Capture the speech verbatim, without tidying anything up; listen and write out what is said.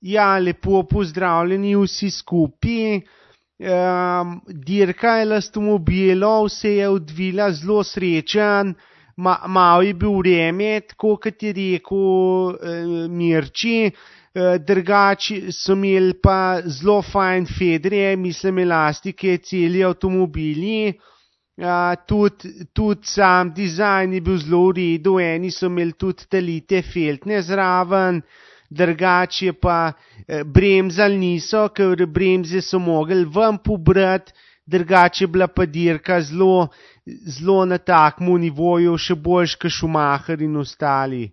Ja, lepo pozdravljeni vsi skupaj. Um, dirka avtomobilov se je odvila zelo srečen, Ma, malo je bil vreme, tako kot je rekel eh, Mirči, eh, drugače so imeli pa zelo fajn fedre, mislim elastike, celi avtomobili, eh, tudi, tudi sam dizajn je bil zelo v redu, eni so imeli tudi talite feltne zraven, drugače pa eh, bremzali niso, ker bremze so mogli ven pobrati, drugače je bila pa dirka zelo, zelo na takmu nivoju, še boljš kot Schumacher in ostali.